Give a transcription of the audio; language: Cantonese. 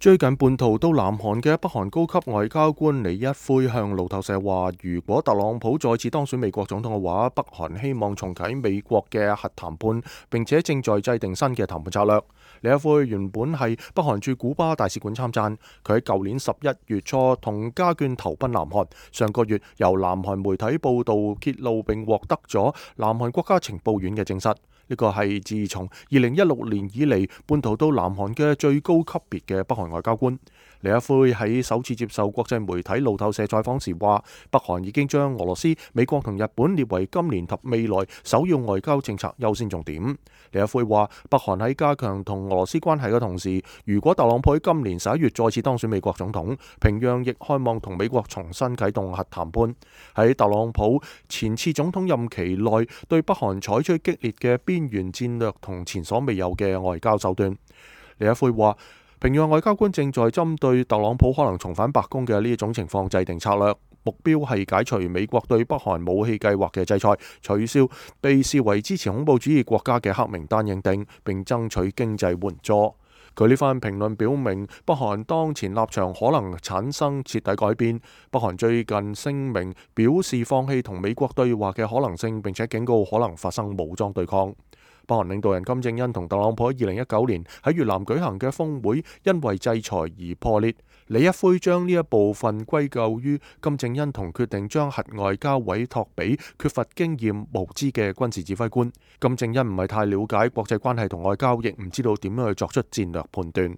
最近叛逃到南韓嘅北韓高級外交官李一輝向路透社話，如果特朗普再次當選美國總統嘅話，北韓希望重啟美國嘅核談判，並且正在制定新嘅談判策略。李一輝原本係北韓駐古巴大使館參贊，佢喺舊年11月初同家眷投奔南韓，上個月由南韓媒體報道揭露並獲得咗南韓國家情報院嘅證實。呢個係自從2016年以嚟叛逃到南韓嘅最高級別嘅北韓外交官。李一輝喺首次接受國際媒體路透社採訪時話，北韓已經將俄羅斯、美國同日本列為今年及未來首要外交政策優先重點。李一輝話，北韓喺加強同俄羅斯關係嘅同時，如果特朗普喺今年11月再次當選美國總統，平壤亦渴望同美國重新啟動核談判。喺特朗普前次總統任期內，對北韓採取激烈嘅邊緣戰略同前所未有嘅外交手段。李一輝話，平壤外交官正在針對特朗普可能重返白宮嘅呢一種情況制定策略，目標係解除美國對北韓武器計劃嘅制裁，取消被視為支持恐怖主義國家嘅黑名單認定，並爭取經濟援助。佢呢番評論表明，北韓當前立場可能產生徹底改變。北韓最近聲明表示放棄同美國對話嘅可能性，並且警告可能發生武裝對抗。北韓領導人金正恩同特朗普喺2019年喺越南舉行嘅峰會，因為制裁而破裂。李一輝將呢一部分歸咎於金正恩同決定將核外交委託俾缺乏經驗、無知嘅軍事指揮官。金正恩唔係太了解國際關係同外交，亦唔知道點樣去作出戰略判斷。